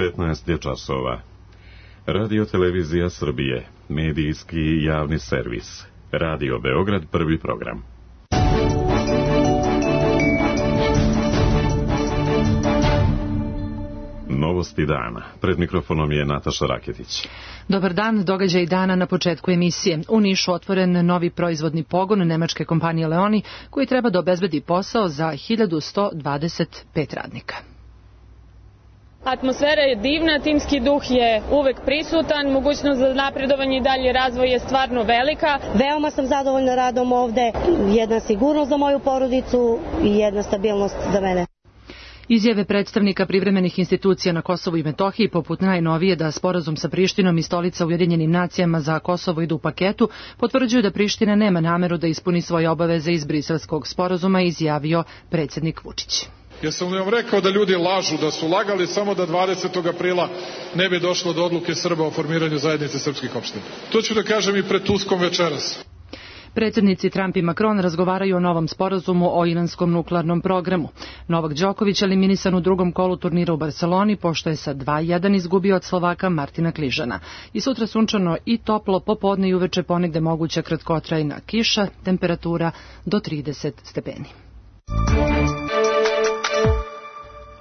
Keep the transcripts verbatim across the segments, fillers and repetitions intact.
petnaest je časova. Radio Televizija Srbije, medijski javni servis. Radio Beograd, prvi program. Novosti dana. Pred mikrofonom je Nataša Raketić. Dobar dan, događaj dana na početku emisije. U Nišu otvoren novi proizvodni pogon nemačke kompanije Leoni, koji treba da obezbedi posao za hiljadu sto dvadeset pet radnika. Atmosfera je divna, timski duh je uvek prisutan, mogućnost za napredovanje i dalje razvoj je stvarno velika. Veoma sam zadovoljna radom ovde, jedna sigurnost za moju porodicu i jedna stabilnost za mene. Izjave predstavnika privremenih institucija na Kosovu i Metohiji, poput najnovije da sporazum sa Prištinom i stolica Ujedinjenim nacijama za Kosovo idu u paketu, potvrđuju da Priština nema nameru da ispuni svoje obaveze iz Briselskog sporazuma, izjavio predsjednik Vučić. Jesam li vam rekao da ljudi lažu, da su lagali samo da dvadesetog aprila ne bi došlo do odluke Srba o formiranju zajednice srpskih opština? To ću da kažem i pred Tuskom večeras. Predsjednici Trump i Macron razgovaraju o novom sporazumu o iranskom nuklearnom programu. Novak Đoković eliminisan u drugom kolu turnira u Barceloni, pošto je sa dva jedan izgubio od Slovaka Martina Kližana. I sutra sunčano i toplo, popodne i uveče ponegde moguća kratkotrajna kiša, temperatura do trideset stepeni.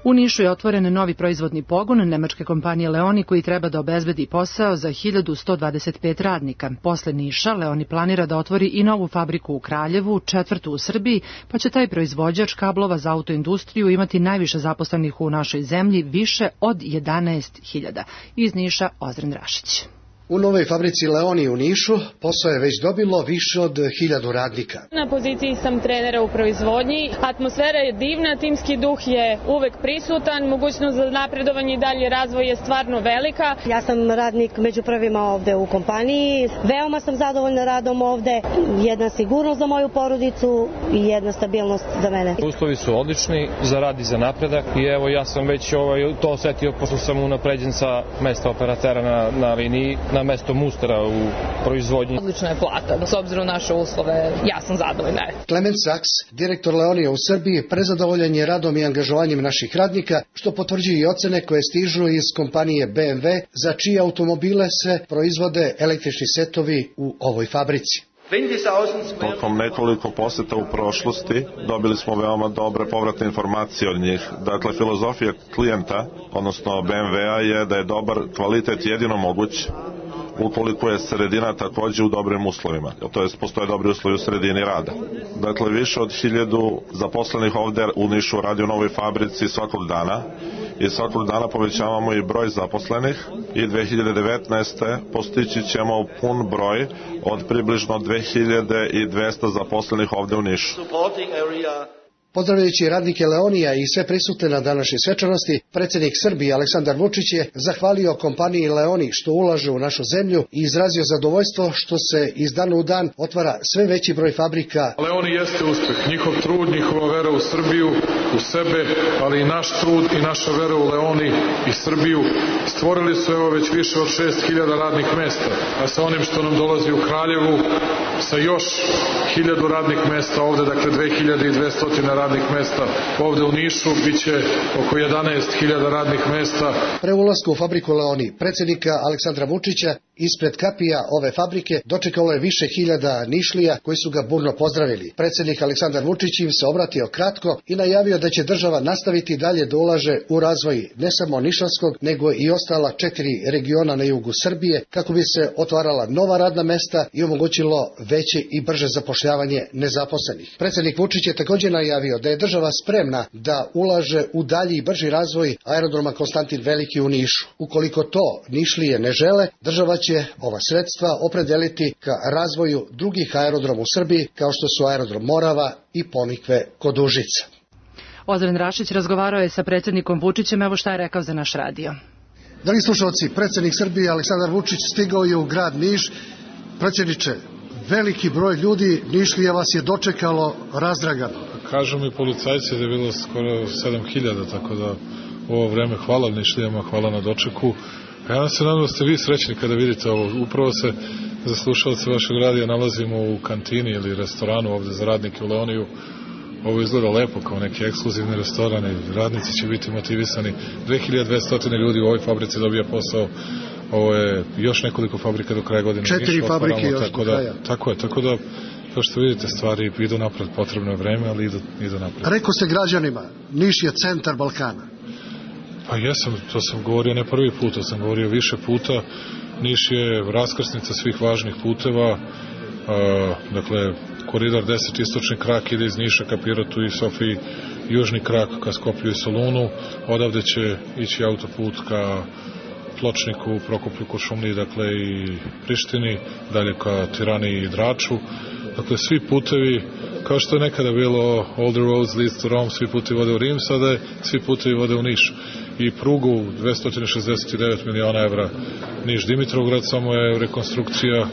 U Nišu je otvoren novi proizvodni pogon nemačke kompanije Leoni, koji treba da obezbedi posao za hiljadu sto dvadeset pet radnika. Posle Niša, Leoni planira da otvori i novu fabriku u Kraljevu, četvrtu u Srbiji, pa će taj proizvođač kablova za autoindustriju imati najviše zaposlenih u našoj zemlji, više od jedanaest hiljada. Iz Niša, Ozren Rašić. U novoj fabrici Leoni u Nišu posao je već dobilo više od hiljadu radnika. Na poziciji sam trenera u proizvodnji. Atmosfera je divna, timski duh je uvek prisutan, mogućnost za napredovanje i dalje razvoj je stvarno velika. Ja sam radnik među prvima ovde u kompaniji. Veoma sam zadovoljna radom ovde, jedna sigurnost za moju porodicu i jedna stabilnost za mene. Uslovi su odlični za rad i za napredak i evo ja sam već ovaj, to osetio pošto sam unapređen sa mesta operatera na, na liniji na mesto mustera u proizvodnji. Odlična je plata, s obzirom na naše uslove, ja sam zadovoljna. Clement Sachs, direktor Leonija u Srbiji, prezadovoljan je radom i angažovanjem naših radnika, što potvrđuju i ocene koje stižu iz kompanije B M W, za čije automobile se proizvode električni setovi u ovoj fabrici. Tokom nekoliko poseta u prošlosti dobili smo veoma dobre povratne informacije od njih. Dakle, filozofija klijenta, odnosno B M W-a, je da je dobar kvalitet jedino moguć ukoliko je sredina takođe u dobrim uslovima, to jest postoje dobri uslovi u sredini rada. Dakle, više od hiljadu zaposlenih ovde u Nišu radi u novoj fabrici svakog dana i svakog dana povećavamo i broj zaposlenih i dve hiljade devetnaeste. postići ćemo pun broj od približno dve hiljade dvesta zaposlenih ovde u Nišu. Pozdravljajući radnike Leonija i sve prisutne na današnjoj svečanosti, predsjednik Srbije Aleksandar Vučić je zahvalio kompaniji Leoni što ulaže u našu zemlju i izrazio zadovoljstvo što se iz dana u dan otvara sve veći broj fabrika. Leoni jeste uspeh, njihov trud, njihova vera u Srbiju, u sebe, ali i naš trud i naša vera u Leoni i Srbiju stvorili su evo već više od šest hiljada radnih mesta, a sa onim što nam dolazi u Kraljevu, sa još hiljadu radnih mesta ovde, dakle dve hiljade dvesta radnih mesta ovde u Nišu, bit će oko jedanaest hiljada radnih mesta. Pre ulaska u fabriku Leoni, predsjednika Aleksandra Vučića, ispred kapija ove fabrike dočekalo je više hiljada Nišlija koji su ga burno pozdravili. Predsjednik Aleksandar Vučić im se obratio kratko i najavio da će država nastaviti dalje da ulaže u razvoj ne samo Nišanskog, nego i ostala četiri regiona na jugu Srbije, kako bi se otvarala nova radna mesta i omogućilo veće i brže zapošljavanje nezaposlenih. Predsjednik Vučić je također najavio da je država spremna da ulaže u dalji i brži razvoj aerodroma Konstantin Veliki u Nišu. Ukoliko to Nišlije ne žele, država će ova sredstva opredeliti ka razvoju drugih aerodroma u Srbiji, kao što su aerodrom Morava i Ponikve kod Užica. Ozren Rašić razgovarao je sa predsjednikom Vučićem, evo šta je rekao za naš radio. Dragi slušalci, predsjednik Srbije Aleksandar Vučić stigao je u grad Niš. Predsjedniče, veliki broj ljudi Nišlija vas je dočekalo razdragano. Kažu mi policajci da je bilo skoro sedam hiljada, tako da u ovo vreme hvala Nišlijama, hvala na dočeku. Ja se nadam da ste vi srećni kada vidite ovo. Upravo se za slušalce vašeg radija nalazimo u kantini ili restoranu ovde za radnike u Leoniju ovo izgleda lepo kao neki ekskluzivni restoran i radnici će biti motivisani. dve hiljade dvesta ljudi u ovoj fabrici dobija posao. Ovo je još nekoliko fabrika do kraja godine. Četiri fabrike još do kraja. Tako je, tako da kao što vidite, stvari idu napred, potrebno je vreme, ali idu, idu napred. Rekao ste građanima, Niš je centar Balkana. Pa jesam, to sam govorio ne prvi put, to sam govorio više puta. Niš je raskrsnica svih važnih puteva, a, dakle, koridor deset, istočni krak ide iz Niša ka Pirotu i Sofiji, južni krak ka Skoplju i Solunu, odavde će ići autoput ka Pločniku, Prokuplju, Kuršumliji, dakle i Prištini, dalje ka Tirani i Draču. Dakle, svi putevi, kao što je nekada bilo all the roads leads to Rome, svi putevi vode u Rim, sada je svi putevi vode u Niš. I prugu dvesta šezdeset devet miliona evra Niš-Dimitrovgrad, samo je rekonstrukcija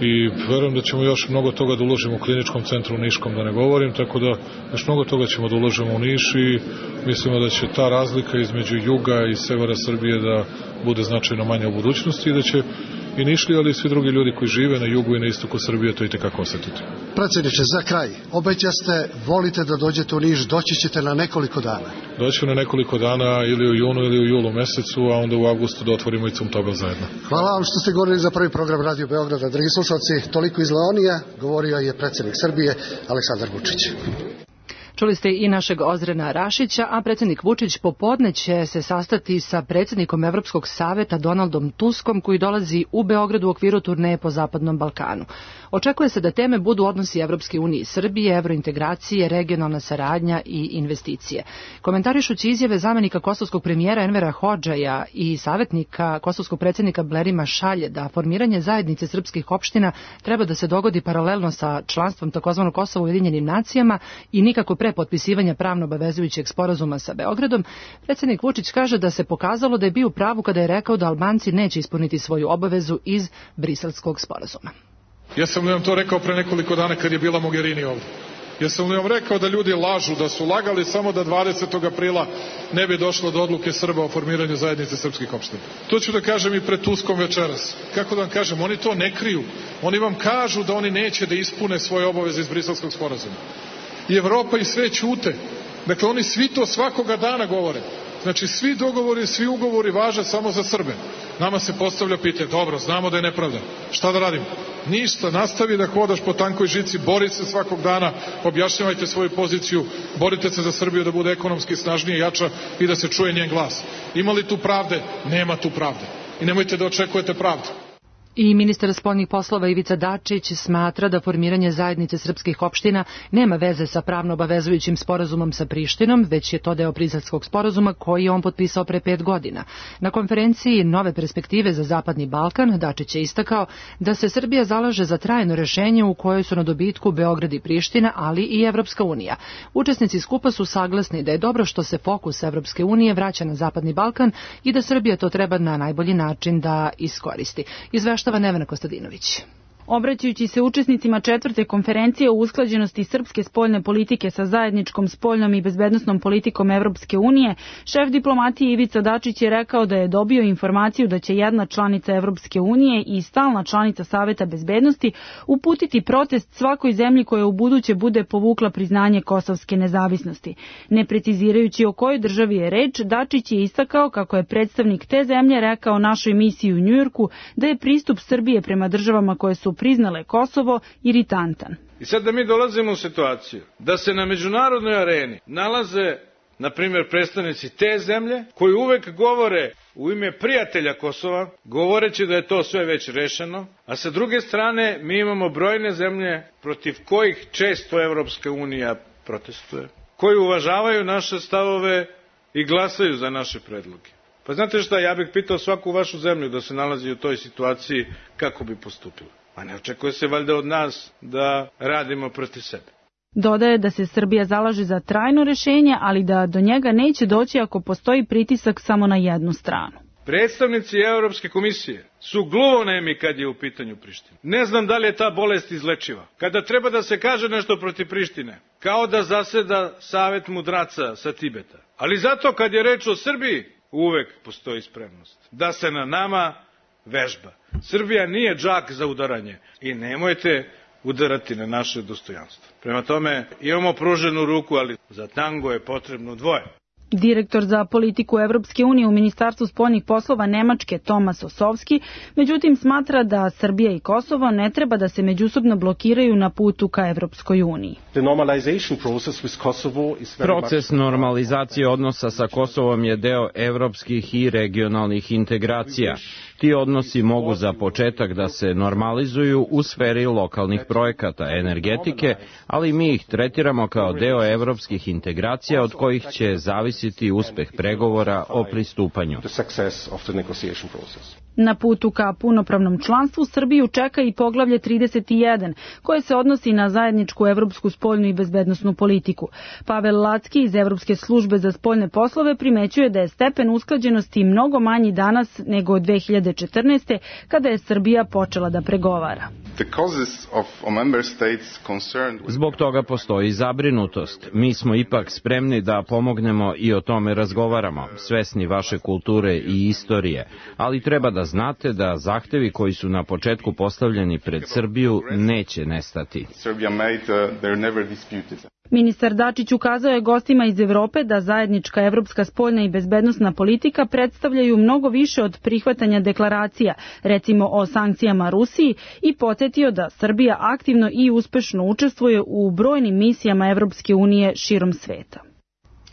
i verujem da ćemo još mnogo toga da uložimo u kliničkom centru u Niškom, da ne govorim, tako da još mnogo toga ćemo da uložimo u Niš i mislimo da će ta razlika između juga i severa Srbije da bude značajno manja u budućnosti i da će i Nišli, ali i svi drugi ljudi koji žive na jugu i na istoku Srbije to i tekako osetiti. Predsjedniče, za kraj, obećaste, volite da dođete u Niš, doći ćete na nekoliko dana. Doći na nekoliko dana ili u junu ili u julu mesecu, a onda u avgustu da otvorimo i Cumtobel zajedno. Hvala vam što ste govorili za prvi program Radio Beograda. Dragi slušalci, toliko iz Leonija, govorio je predsjednik Srbije Aleksandar Vučić. Čuli ste i našeg Ozrena Rašića, a predsjednik Vučić popodne će se sastati sa predsjednikom Evropskog saveta Donaldom Tuskom, koji dolazi u Beograd u okviru turneje po Zapadnom Balkanu. Očekuje se da teme budu odnosi Evropske unije i Srbije, evrointegracije, regionalna saradnja i investicije. Komentarišući izjave zamenika kosovskog premijera Envera Hodžaja i savjetnika kosovskog predsjednika Blerima Šalje da formiranje zajednice srpskih opština treba da se dogodi paralelno sa članstvom takozvanog Kosova u Ujedinjenim nacijama i nikako pre potpisivanja pravno obavezujućeg sporazuma sa Beogradom, predsjednik Vučić kaže da se pokazalo da je bio u pravu kada je rekao da Albanci neće ispuniti svoju obavezu iz Briselskog sporazuma. Ja sam li vam to rekao pre nekoliko dana kad je bila Mogherini ovdje? Ja sam li vam rekao da ljudi lažu, da su lagali samo da dvadesetog aprila ne bi došlo do odluke Srba o formiranju zajednice srpskih opština? To ću da kažem i pred Tuskom večeras. Kako da vam kažem, oni to ne kriju. Oni vam kažu da oni neće da ispune svoje obaveze iz Briselskog sporazuma. I Evropa i sve ćute. Dakle, oni svi to svakoga dana govore. Znači, svi dogovori, svi ugovori važe samo za Srbe. Nama se postavlja pitanje, dobro, znamo da je nepravda. Šta da radimo? Ništa, nastavi da hodaš po tankoj žici, bori se svakog dana, objašnjavajte svoju poziciju, borite se za Srbiju da bude ekonomski snažnije, jača i da se čuje njen glas. Ima li tu pravde? Nema tu pravde. I nemojte da očekujete pravdu. I ministar spoljnih poslova Ivica Dačić smatra da formiranje zajednice srpskih opština nema veze sa pravno obavezujućim sporazumom sa Prištinom, već je to deo Briselskog sporazuma koji je on potpisao pre pet godina. Na konferenciji Nove perspektive za Zapadni Balkan Dačić je istakao da se Srbija zalaže za trajno rešenje u kojoj su na dobitku Beograd i Priština, ali i Evropska unija. Učesnici skupa su saglasni da je dobro što se fokus Evropske unije vraća na Zapadni Balkan i da Srbija to treba na najbolji način da iskoristi. Izveštava Nevena Kostadinović. Obraćajući se učesnicima četvrte konferencije o usklađenosti srpske spoljne politike sa zajedničkom spoljnom i bezbednosnom politikom Evropske unije, šef diplomatije Ivica Dačić je rekao da je dobio informaciju da će jedna članica Evropske unije i stalna članica Saveta bezbednosti uputiti protest svakoj zemlji koja u buduće bude povukla priznanje kosovske nezavisnosti. Ne precizirajući o kojoj državi je reč, Dačić je istakao kako je predstavnik te zemlje rekao našoj misiji u Njujorku da je pristup Srbije prema državama koje su priznale Kosovo iritantan. I sad da mi dolazimo u situaciju da se na međunarodnoj areni nalaze, na primjer, predstavnici te zemlje koji uvek govore u ime prijatelja Kosova, govoreći da je to sve već rešeno, a sa druge strane mi imamo brojne zemlje protiv kojih često Evropska unija protestuje, koji uvažavaju naše stavove i glasaju za naše predloge. Pa znate šta, ja bih pitao svaku vašu zemlju da se nalazi u toj situaciji kako bi postupila. A ne očekuje se valjda od nas da radimo protiv sebe. Dodaje da se Srbija zalaže za trajno rešenje, ali da do njega neće doći ako postoji pritisak samo na jednu stranu. Predstavnici Evropske komisije su gluvonemi kad je u pitanju Priština. Ne znam da li je ta bolest izlečiva. Kada treba da se kaže nešto protiv Prištine, kao da zaseda Savet mudraca sa Tibeta. Ali zato kad je reč o Srbiji, uvek postoji spremnost da se na nama vežba. Srbija nije džak za udaranje i nemojte udarati na naše dostojanstvo. Prema tome, imamo pruženu ruku, ali za tango je potrebno dvoje. Direktor za politiku Evropske unije u Ministarstvu spoljnih poslova Nemačke Tomas Osovski, međutim smatra da Srbija i Kosovo ne treba da se međusobno blokiraju na putu ka Evropskoj uniji. Proces normalizacije odnosa sa Kosovom je deo evropskih i regionalnih integracija. Ti odnosi mogu za početak da se normalizuju u sferi lokalnih projekata energetike, ali mi ih tretiramo kao deo evropskih integracija od kojih će zavisiti uspeh pregovora o pristupanju. Na putu ka punopravnom članstvu Srbiju čeka i poglavlje trideset jedan, koje se odnosi na zajedničku evropsku spoljnu i bezbednosnu politiku. Pavel Lacki iz Evropske službe za spoljne poslove primećuje da je stepen usklađenosti mnogo manji danas nego od dve hiljade četrnaeste. kada je Srbija počela da pregovara. Zbog toga postoji zabrinutost. Mi smo ipak spremni da pomognemo i o tome razgovaramo, svesni vaše kulture i istorije, ali treba da znate da zahtevi koji su na početku postavljeni pred Srbiju neće nestati. Ministar Dačić ukazao je gostima iz Evrope da zajednička evropska spoljna i bezbednosna politika predstavljaju mnogo više od prihvatanja deklaracija, recimo o sankcijama Rusiji, i podsjetio da Srbija aktivno i uspešno učestvuje u brojnim misijama Evropske unije širom sveta.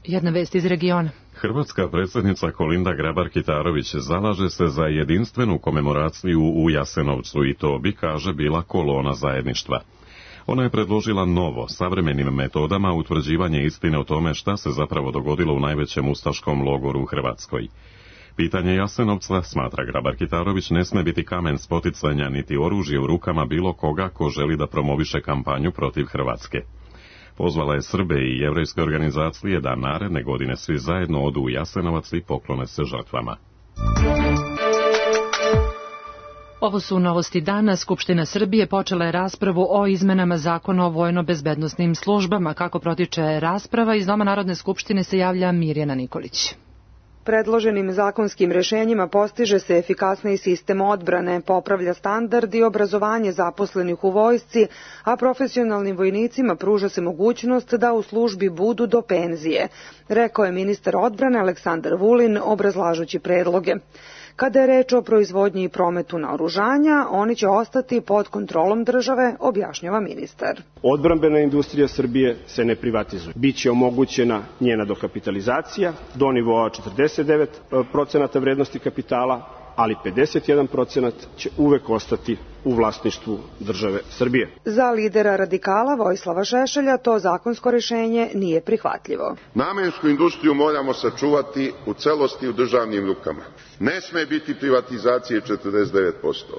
Jedna vest iz regiona. Hrvatska predsjednica Kolinda Grabar-Kitarović zalaže se za jedinstvenu komemoraciju u Jasenovcu i to bi, kaže, bila kolona zajedništva. Ona je predložila novo, savremenim metodama utvrđivanje istine o tome šta se zapravo dogodilo u najvećem ustaškom logoru u Hrvatskoj. Pitanje Jasenovca, smatra Grabar-Kitarović, ne sme biti kamen spoticanja niti oružje u rukama bilo koga ko želi da promoviše kampanju protiv Hrvatske. Pozvala je Srbe i jevrejske organizacije da naredne godine svi zajedno odu u Jasenovac i poklone se žrtvama. Ovo su novosti dana. Skupština Srbije počela je raspravu o izmenama zakona o vojno-bezbednosnim službama. Kako protiče rasprava, iz Doma Narodne skupštine se javlja Mirjana Nikolić. Predloženim zakonskim rešenjima postiže se efikasniji sistem odbrane, popravlja standard i obrazovanje zaposlenih u vojsci, a profesionalnim vojnicima pruža se mogućnost da u službi budu do penzije, rekao je ministar odbrane Aleksandar Vulin obrazlažući predloge. Kada je reč o proizvodnji i prometu naoružanja, oni će ostati pod kontrolom države, objašnjava ministar. Odbrambena industrija Srbije se ne privatizuje. Biće omogućena njena dokapitalizacija do nivoa četrdeset devet procenata vrednosti kapitala, ali pedeset jedan procenat će uvek ostati u vlasništvu države Srbije. Za lidera radikala Vojislava Šešelja to zakonsko rešenje nije prihvatljivo. Namensku industriju moramo sačuvati u celosti u državnim rukama. Ne sme biti privatizacije četrdeset devet posto.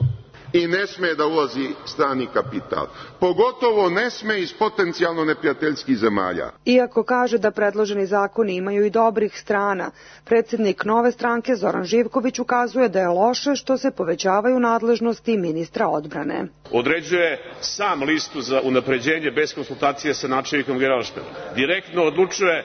I ne sme da ulazi strani kapital. Pogotovo ne sme iz potencijalno neprijateljskih zemalja. Iako kaže da predloženi zakoni imaju i dobrih strana, predsjednik Nove stranke Zoran Živković ukazuje da je loše što se povećavaju nadležnosti ministra odbrane. Određuje sam listu za unapređenje bez konsultacije sa načelnikom Generalštaba. Direktno odlučuje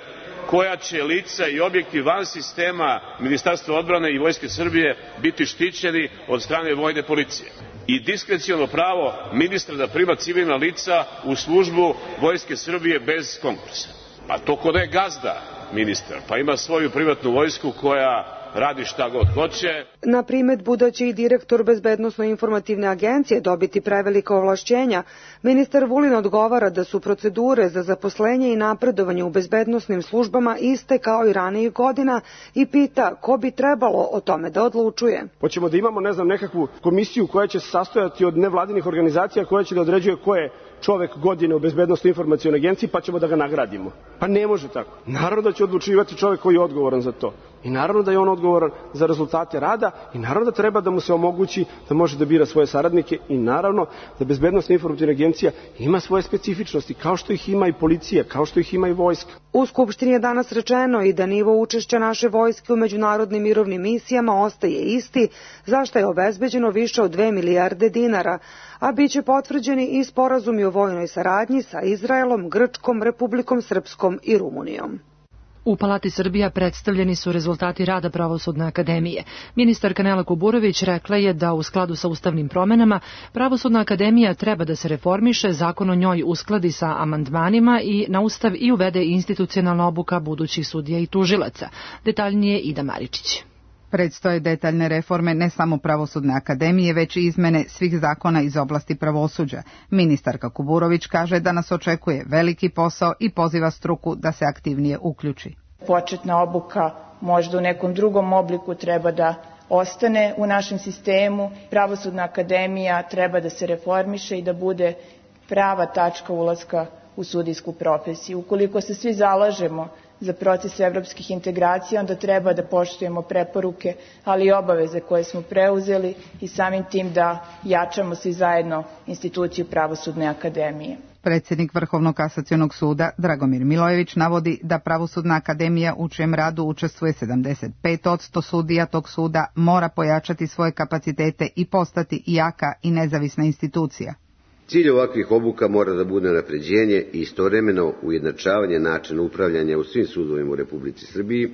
koja će lica i objekti van sistema Ministarstva odbrane i Vojske Srbije biti štićeni od strane vojne policije. I diskreciono pravo ministra da prima civilna lica u službu Vojske Srbije bez konkursa. Pa to ko da je gazda ministar, pa ima svoju privatnu vojsku koja radi šta god hoće. Na primedbu da će i direktor Bezbednosno-informativne agencije dobiti prevelika ovlašćenja, ministar Vulin odgovara da su procedure za zaposlenje i napredovanje u bezbednosnim službama iste kao i ranijih godina i pita ko bi trebalo o tome da odlučuje. Hoćemo da imamo, ne znam, nekakvu komisiju koja će se sastojati od nevladinih organizacija koja će da određuje ko je čovek godine u Bezbednosno-informacionoj agenciji pa ćemo da ga nagradimo. Pa ne može tako. Naravno da će odlučivati čovek koji je odgovoran za to. I naravno da je on odgovoran za rezultate rada i naravno da treba da mu se omogući da može da bira svoje saradnike i naravno da Bezbednosno-informativna agencija ima svoje specifičnosti kao što ih ima i policija, kao što ih ima i vojska. U Skupštini je danas rečeno i da nivo učešća naše vojske u međunarodnim mirovnim misijama ostaje isti, za što je obezbeđeno više od dve milijarde dinara, a bit će potvrđeni i sporazumi o vojnoj saradnji sa Izraelom, Grčkom, Republikom Srpskom i Rumunijom. U Palati Srbija predstavljeni su rezultati rada Pravosudne akademije. Ministarka Nela Kuburović rekla je da u skladu sa ustavnim promenama Pravosudna akademija treba da se reformiše, zakon o njoj uskladi sa amandmanima i na ustav i uvede institucionalna obuka budućih sudija i tužilaca. Detaljnije Ida Maričić. Predstoje detaljne reforme ne samo Pravosudne akademije, već i izmene svih zakona iz oblasti pravosuđa. Ministarka Kuburović kaže da nas očekuje veliki posao i poziva struku da se aktivnije uključi. Početna obuka možda u nekom drugom obliku treba da ostane u našem sistemu. Pravosudna akademija treba da se reformiše i da bude prava tačka ulaska u sudijsku profesiju. Ukoliko se svi zalažemo za proces evropskih integracija, onda treba da poštujemo preporuke, ali i obaveze koje smo preuzeli i samim tim da jačamo svi zajedno instituciju Pravosudne akademije. Predsjednik Vrhovnog kasacionog suda Dragomir Milojević navodi da Pravosudna akademija u čijem radu učestvuje sedamdeset pet posto sudija tog suda mora pojačati svoje kapacitete i postati jaka i nezavisna institucija. Cilj ovakvih obuka mora da bude napređenje i istovremeno ujednačavanje načina upravljanja u svim sudovima u Republici Srbiji,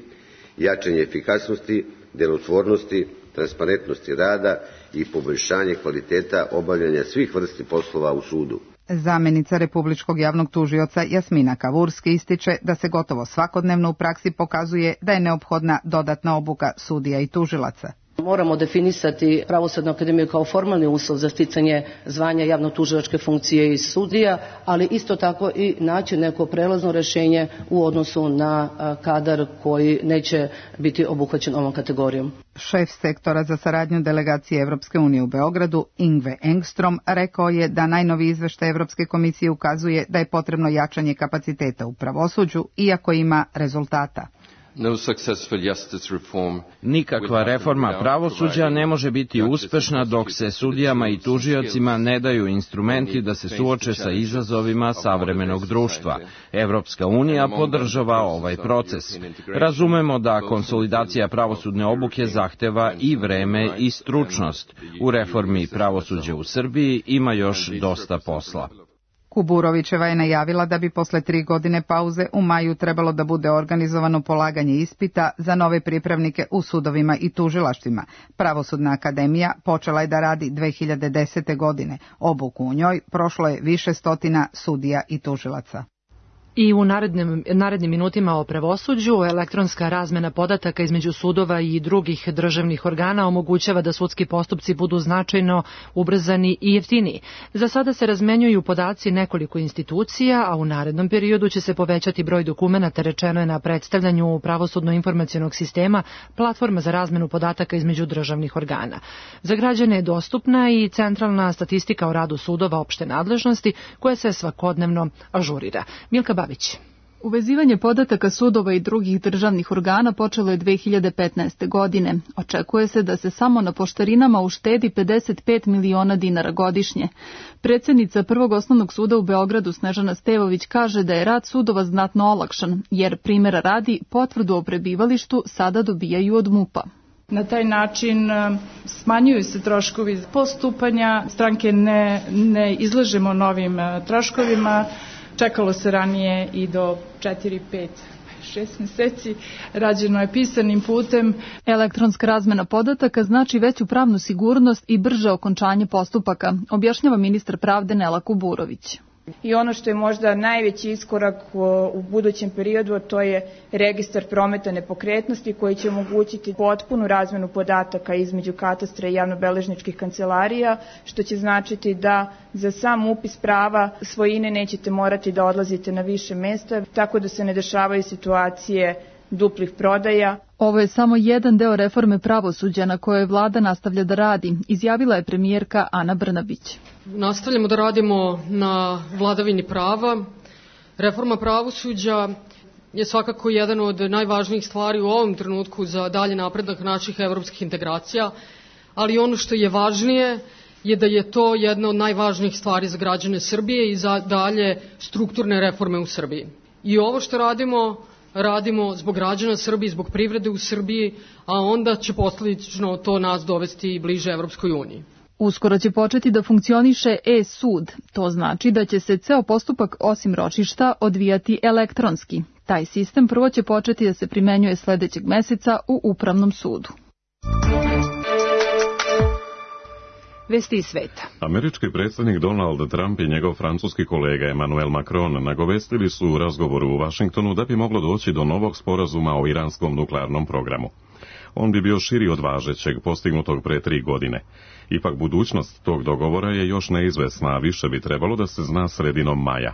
jačanje efikasnosti, delotvornosti, transparentnosti rada i poboljšanje kvaliteta obavljanja svih vrsti poslova u sudu. Zamenica Republičkog javnog tužioca Jasmina Kavurski ističe da se gotovo svakodnevno u praksi pokazuje da je neophodna dodatna obuka sudija i tužilaca. Moramo definisati Pravosudnu akademiju kao formalni uslov za sticanje zvanja javno-tužilačke funkcije i sudija, ali isto tako i naći neko prelazno rješenje u odnosu na kadar koji neće biti obuhvaćen ovom kategorijom. Šef sektora za saradnju delegacije Evropske unije u Beogradu, Ingve Engstrom, rekao je da najnoviji izveštaj Evropske komisije ukazuje da je potrebno jačanje kapaciteta u pravosuđu, iako ima rezultata. Nikakva reforma pravosuđa ne može biti uspešna dok se sudijama i tužiocima ne daju instrumenti da se suoče sa izazovima savremenog društva. Evropska unija podržava ovaj proces. Razumemo da konsolidacija pravosudne obuke zahteva i vreme i stručnost. U reformi pravosuđa u Srbiji ima još dosta posla. Kuburovićeva je najavila da bi posle tri godine pauze u maju trebalo da bude organizovano polaganje ispita za nove pripravnike u sudovima i tužilaštvima. Pravosudna akademija počela je da radi dve hiljade desete. godine. Obuku u njoj prošlo je više stotina sudija i tužilaca. I u narednim, narednim minutima o pravosuđu, elektronska razmena podataka između sudova i drugih državnih organa omogućava da sudski postupci budu značajno ubrzani i jeftiniji. Za sada se razmenjuju podaci nekoliko institucija, a u narednom periodu će se povećati broj dokumenata, rečeno je na predstavljanju pravosudno-informacionog sistema, platforma za razmenu podataka između državnih organa. Za građane je dostupna i centralna statistika o radu sudova opšte nadležnosti, koja se svakodnevno ažurira. Milka Babić. Uvezivanje podataka sudova i drugih državnih organa počelo je dve hiljade petnaeste. godine. Očekuje se da se samo na poštarinama uštedi pedeset pet miliona dinara godišnje. Predsjednica Prvog osnovnog suda u Beogradu Snežana Stevović kaže da je rad sudova znatno olakšan, jer primjera radi potvrdu o prebivalištu sada dobijaju od MUP-a. Na taj način smanjuju se troškovi postupanja, stranke ne, ne izlažemo novim troškovima. Čekalo se ranije i do četiri, pet, šest meseci, rađeno je pisanim putem. Elektronska razmena podataka znači veću pravnu sigurnost i brže okončanje postupaka, objašnjava ministar pravde Nela Kuburović. I ono što je možda najveći iskorak u budućem periodu, to je registar prometa nepokretnosti koji će omogućiti potpunu razmenu podataka između katastra i javnobeležničkih kancelarija, što će značiti da za sam upis prava svojine nećete morati da odlazite na više mesta, tako da se ne dešavaju situacije duplih prodaja. Ovo je samo jedan deo reforme pravosuđa na kojoj vlada nastavlja da radi, izjavila je premijerka Ana Brnabić. Nastavljamo da radimo na vladavini prava. Reforma pravosuđa je svakako jedan od najvažnijih stvari u ovom trenutku za dalje napredak naših evropskih integracija, ali ono što je važnije je da je to jedna od najvažnijih stvari za građane Srbije i za dalje strukturne reforme u Srbiji. I ovo što radimo, radimo zbog građana Srbije, zbog privrede u Srbiji, a onda će posledično to nas dovesti bliže Evropskoj uniji. Uskoro će početi da funkcioniše e-sud. To znači da će se ceo postupak osim ročišta odvijati elektronski. Taj sistem prvo će početi da se primenjuje sledećeg meseca u Upravnom sudu. Vesti iz sveta. Američki predsjednik Donald Trump i njegov francuski kolega Emmanuel Macron nagovestili su u razgovoru u Vašingtonu da bi moglo doći do novog sporazuma o iranskom nuklearnom programu. On bi bio širi od važećeg, postignutog pre tri godine. Ipak budućnost tog dogovora je još neizvesna, a više bi trebalo da se zna sredinom maja.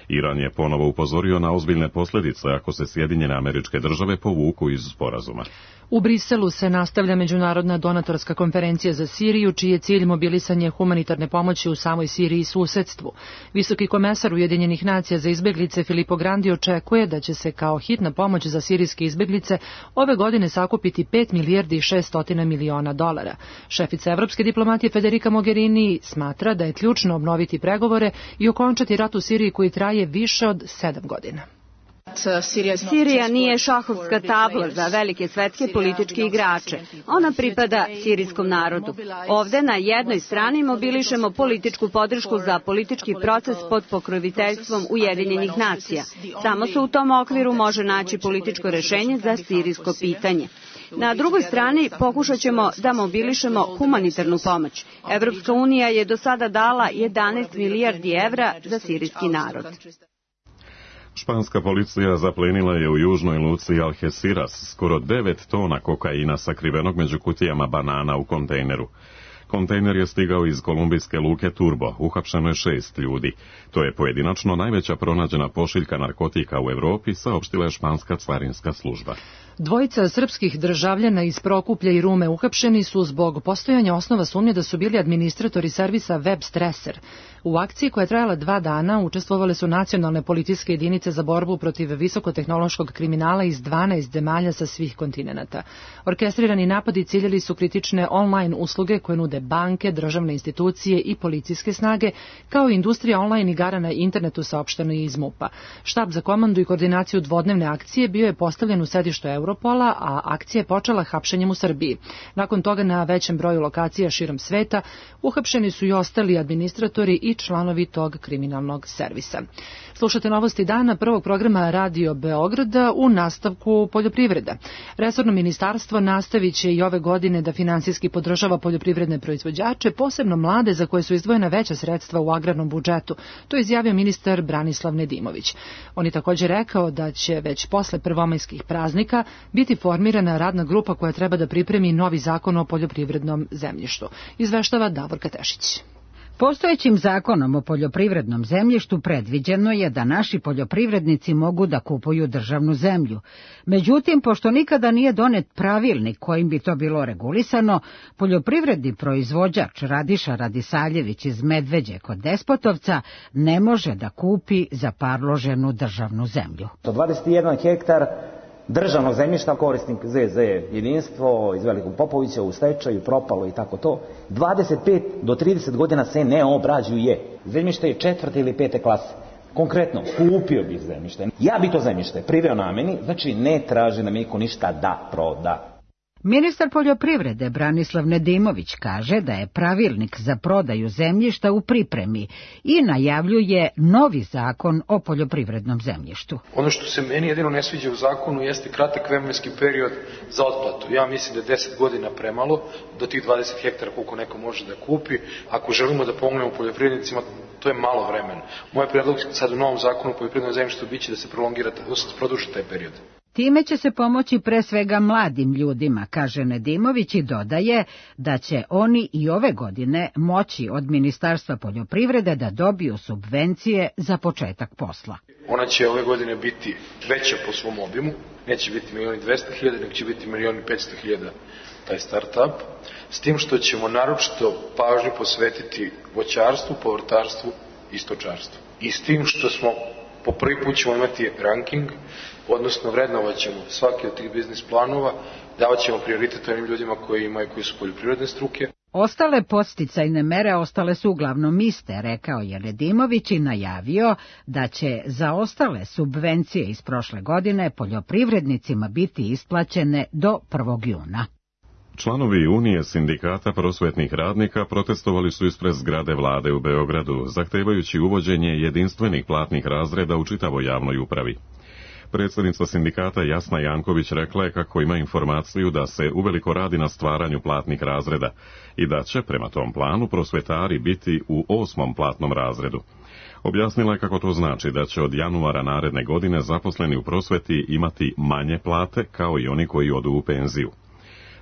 Iran je ponovo upozorio na ozbiljne posljedice ako se Sjedinjene Američke Države povuku iz sporazuma. U Briselu se nastavlja međunarodna donatorska konferencija za Siriju, čiji je cilj mobilisanje humanitarne pomoći u samoj Siriji i susedstvu. Visoki komesar Ujedinjenih nacija za izbeglice Filippo Grandi očekuje da će se kao hitna pomoć za sirijske izbeglice ove godine sakupiti pet milijardi i šessto miliona dolara. Šefica evropske diplomatije Federica Mogherini smatra da je ključno obnoviti pregovore i okončati rat u Siriji koji traje više od sedam godina. Sirija nije šahovska tabla za velike svetske političke igrače. Ona pripada sirijskom narodu. Ovde na jednoj strani mobilišemo političku podršku za politički proces pod pokroviteljstvom Ujedinjenih nacija. Samo se u tom okviru može naći političko rešenje za sirijsko pitanje. Na drugoj strani pokušat ćemo da mobilišemo humanitarnu pomoć. Evropska unija je do sada dala jedanaest milijardi evra za sirijski narod. Španska policija zaplenila je u južnoj luci Algeciras skoro devet tona kokaina sakrivenog među kutijama banana u kontejneru. Kontejner je stigao iz kolumbijske luke Turbo, uhapšeno je šest ljudi. To je pojedinačno najveća pronađena pošiljka narkotika u Evropi, saopštila je španska carinska služba. Dvojica srpskih državljana iz Prokuplja i Rume uhapšeni su zbog postojanja osnova sumnje da su bili administratori servisa Web Streser. U akciji koja je trajala dva dana učestvovale su nacionalne policijske jedinice za borbu protiv visokotehnološkog kriminala iz dvanaest zemalja sa svih kontinenata. Orkestrirani napadi ciljali su kritične online usluge koje nude banke, državne institucije i policijske snage, kao i industrija online igara na internetu, saopšteno je iz MUP-a. Štab za komandu i koordinaciju dvodnevne akcije bio je postavljen u sedištu Europola, a akcija je počela hapšenjem u Srbiji. Nakon toga na većem broju lokacija širom sveta uhapšeni su i ostali administratori i članovi tog kriminalnog servisa. Slušate novosti dana prvog programa Radio Beograda u nastavku poljoprivreda. Resorno ministarstvo nastavit će i ove godine da finansijski podržava poljoprivredne proizvođače, posebno mlade za koje su izdvojena veća sredstva u agrarnom budžetu. To je izjavio ministar Branislav Nedimović. On je također rekao da će već posle prvomajskih praznika biti formirana radna grupa koja treba da pripremi novi zakon o poljoprivrednom zemljištu. Izveštava Davorka Tešić. Postojećim zakonom o poljoprivrednom zemljištu predviđeno je da naši poljoprivrednici mogu da kupuju državnu zemlju. Međutim, pošto nikada nije donet pravilnik kojim bi to bilo regulisano, poljoprivredni proizvođač Radiša Radisaljević iz Medveđe kod Despotovca ne može da kupi zaparloženu državnu zemlju. dvadeset jedan hektar državnog zemljišta, korisnik Z Z jedinstvo iz Velikog Popovića u stečaju, propalo i tako to, dvadeset pet do trideset godina se ne obrađuje. Zemljište je četvrte ili pete klase. Konkretno, kupio bih zemljište. Ja bi to zemljište priveo nameni, znači ne traži da mi niko ništa da proda. Ministar poljoprivrede Branislav Nedimović kaže da je pravilnik za prodaju zemljišta u pripremi i najavljuje novi zakon o poljoprivrednom zemljištu. Ono što se meni jedino ne sviđa u zakonu jeste kratak vremenski period za otplatu. Ja mislim da je deset godina premalo do tih dvadeset hektara koliko neko može da kupi. Ako želimo da pomognemo poljoprivrednicima, to je malo vremena. Moj predlog sad u novom zakonu o poljoprivrednom zemljištu biće da se prolongira, da se produži taj period. Time će se pomoći pre svega mladim ljudima, kaže Nedimović i dodaje da će oni i ove godine moći od Ministarstva poljoprivrede da dobiju subvencije za početak posla. Ona će ove godine biti veća po svom obimu, neće biti milion i dvesta hiljada, nego će biti milion i petsto hiljada taj start-up, s tim što ćemo naročito pažnju posvetiti voćarstvu, povrtarstvu i stočarstvu. I s tim što smo po prvi put ćemo imati ranking, odnosno vrednovat ćemo svaki od tih biznis planova, davat ćemo prioritet onim ljudima koji imaju, koji su poljoprivredne struke. Ostale podsticajne mere ostale su uglavnom iste, rekao je Nedimović i najavio da će za ostale subvencije iz prošle godine poljoprivrednicima biti isplaćene do prvog juna. Članovi Unije sindikata prosvetnih radnika protestovali su ispred zgrade vlade u Beogradu, zahtevajući uvođenje jedinstvenih platnih razreda u čitavoj javnoj upravi. Predsjednica sindikata Jasna Janković rekla je kako ima informaciju da se uveliko radi na stvaranju platnih razreda i da će, prema tom planu, prosvetari biti u osmom platnom razredu. Objasnila je kako to znači da će od januara naredne godine zaposleni u prosveti imati manje plate kao i oni koji odu u penziju.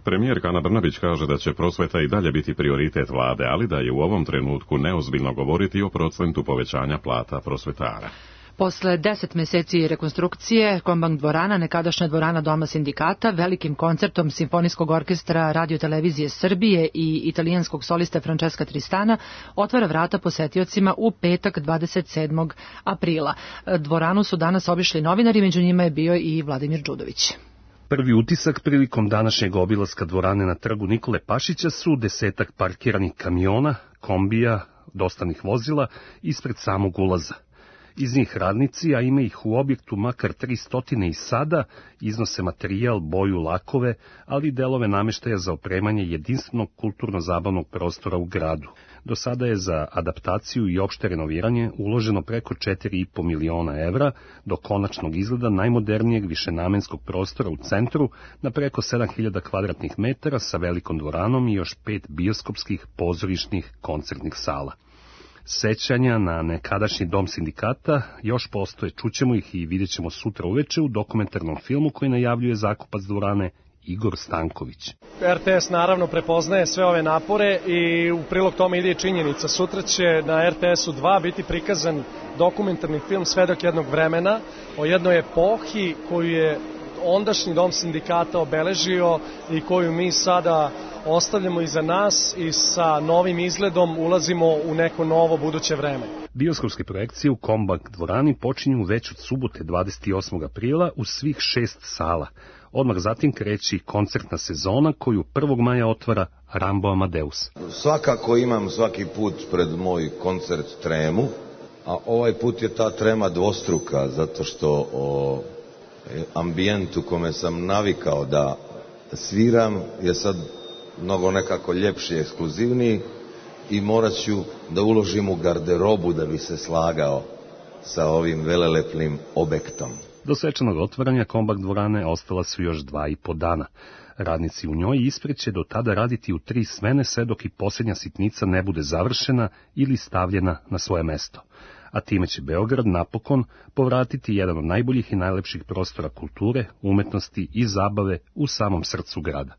Premijerka Ana Brnabić kaže da će prosveta i dalje biti prioritet vlade, ali da je u ovom trenutku neozbiljno govoriti o procentu povećanja plata prosvetara. Posle deset meseci rekonstrukcije, Kombank dvorana, nekadašnja dvorana Doma sindikata, velikim koncertom Simfonijskog orkestra Radio-televizije Srbije i italijanskog soliste Francesca Tristana, otvara vrata posetiocima u petak dvadeset sedmog aprila. Dvoranu su danas obišli novinari, među njima je bio i Vladimir Đudović. Prvi utisak prilikom današnjeg obilaska dvorane na trgu Nikole Pašića su desetak parkiranih kamiona, kombija, dostavnih vozila ispred samog ulaza. Iz njih radnici, a ima ih u objektu makar tristotine i sada, iznose materijal, boju, lakove, ali i delove nameštaja za opremanje jedinstvenog kulturno-zabavnog prostora u gradu. Do sada je za adaptaciju i opšte renoviranje uloženo preko četiri i po miliona evra do konačnog izgleda najmodernijeg višenamenskog prostora u centru na preko sedam hiljada kvadratnih metara sa velikom dvoranom i još pet bioskopskih, pozorišnih, koncertnih sala. Sećanja na nekadašnji dom sindikata još postoje, čućemo ih i vidjet ćemo sutra uveče u dokumentarnom filmu koji najavljuje zakupac dvorane Igor Stanković. R T S naravno prepoznaje sve ove napore i u prilog tome ide i činjenica. Sutra će na R T S u dva biti prikazan dokumentarni film Svedok jednog vremena o jednoj epohi koju je ondašnji dom sindikata obeležio i koju mi sada ostavljamo iza nas i sa novim izgledom ulazimo u neko novo buduće vreme. Bioskopske projekcije u Kombank dvorani počinju već od subote dvadeset osmog aprila u svih šest sala. Odmah zatim kreće koncertna sezona koju prvog maja otvara Rambo Amadeus. Svakako imam svaki put pred moj koncert tremu, a ovaj put je ta trema dvostruka zato što o ambijent u kome sam navikao da sviram je sad mnogo nekako ljepši, ekskluzivniji i morat ću da uložim u garderobu da bi se slagao sa ovim velelepnim objektom. Do svečanog otvaranja Kombank dvorane ostala su još dva i po dana. Radnici u njoj ispred će do tada raditi u tri smene sve dok i posljednja sitnica ne bude završena ili stavljena na svoje mesto. A time će Beograd napokon povratiti jedan od najboljih i najlepših prostora kulture, umetnosti i zabave u samom srcu grada.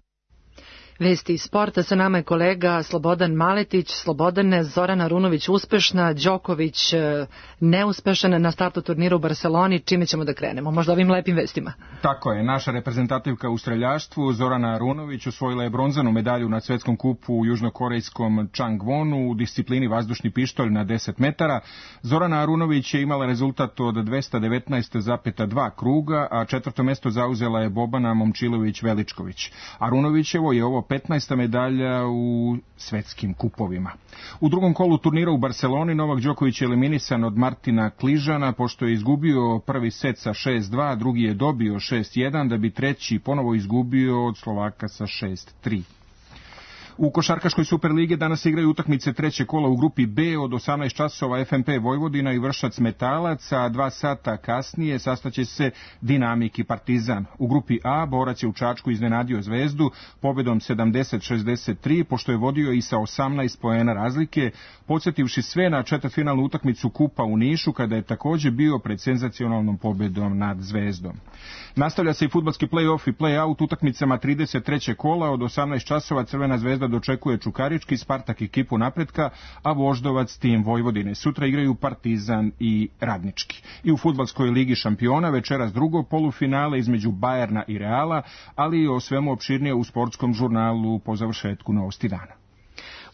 Vesti iz sporta, sa nama je kolega Slobodan Maletić. Slobodane, Zorana Arunović uspešna, Đoković neuspešan na startu turnira u Barseloni. Čime ćemo da krenemo? Možda ovim lepim vestima. Tako je, naša reprezentativka u streljaštvu Zorana Arunović osvojila je bronzanu medalju na svetskom kupu u južnokorejskom Changwonu u disciplini vazdušni pištolj na deset metara. Zorana Arunović je imala rezultat od dvesta devetnaest zarez dva kruga, a četvrto mesto zauzela je Bobana Momčilović-Veličković. Arunovićevo je ovo petnaesta medalja u svetskim kupovima. U drugom kolu turnira u Barseloni Novak Đoković je eliminisan od Martina Kližana pošto je izgubio prvi set sa šest dva, drugi je dobio šest jedan, da bi treći ponovo izgubio od Slovaka sa šest tri. U košarkaškoj Superlige danas igraju utakmice treće kola u grupi B od osamnaest časova F M P Vojvodina i Vršac Metalac, a dva sata kasnije sastaće se Dinamik i Partizan. U grupi A Borac je u Čačku iznenadio Zvezdu pobedom sedamdeset šezdeset tri, pošto je vodio i sa osamnaest poena razlike, podsjetivši sve na četvrtfinalnu utakmicu Kupa u Nišu, kada je takođe bio pred senzacionalnom pobedom nad Zvezdom. Nastavlja se i fudbalski play-off i play-out utakmicama trideset trećeg kola od osamnaest časova Crvena zvezda dočekuje Čukarički, Spartak ekipu Napretka, a Voždovac tim Vojvodine. Sutra igraju Partizan i Radnički. I u fudbalskoj ligi šampiona večeras drugo polufinale između Bajerna i Reala, ali i o svemu opširnije u sportskom žurnalu po završetku Novosti dana.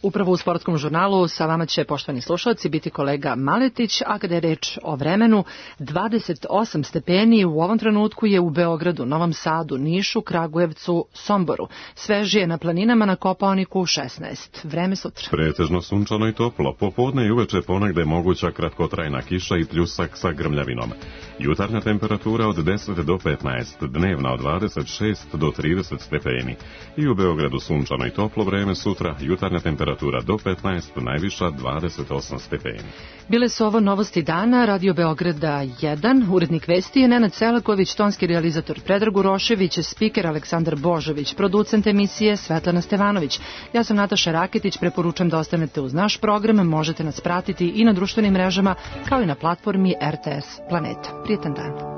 Upravo u sportskom žurnalu sa vama će, poštovani slušalci, biti kolega Maletić, a kada je reč o vremenu, dvadeset osam stepeni u ovom trenutku je u Beogradu, Novom Sadu, Nišu, Kragujevcu, Somboru. Svežije na planinama na Kopaoniku šesnaest. Vreme sutra. Pretežno sunčano i toplo. Popodne i uveče ponegde je moguća kratkotrajna kiša i pljusak sa grmljavinom. Jutarnja temperatura od deset do petnaest, dnevna od dvadeset šest do trideset stepeni. I u Beogradu sunčano i toplo vreme sutra, jutarnja temperatura do petnaest, najviša dvadeset osam stepeni. Bile su ovo novosti dana, Radio Beograda jedan, urednik vesti je Nenad Selaković, tonski realizator Predrag Urošević, spiker Aleksandar Božović, producent emisije Svetlana Stevanović. Ja sam Nataša Raketić, preporučam da ostanete uz naš program, možete nas pratiti i na društvenim mrežama, kao i na platformi R T S Planeta. Prijetan dan.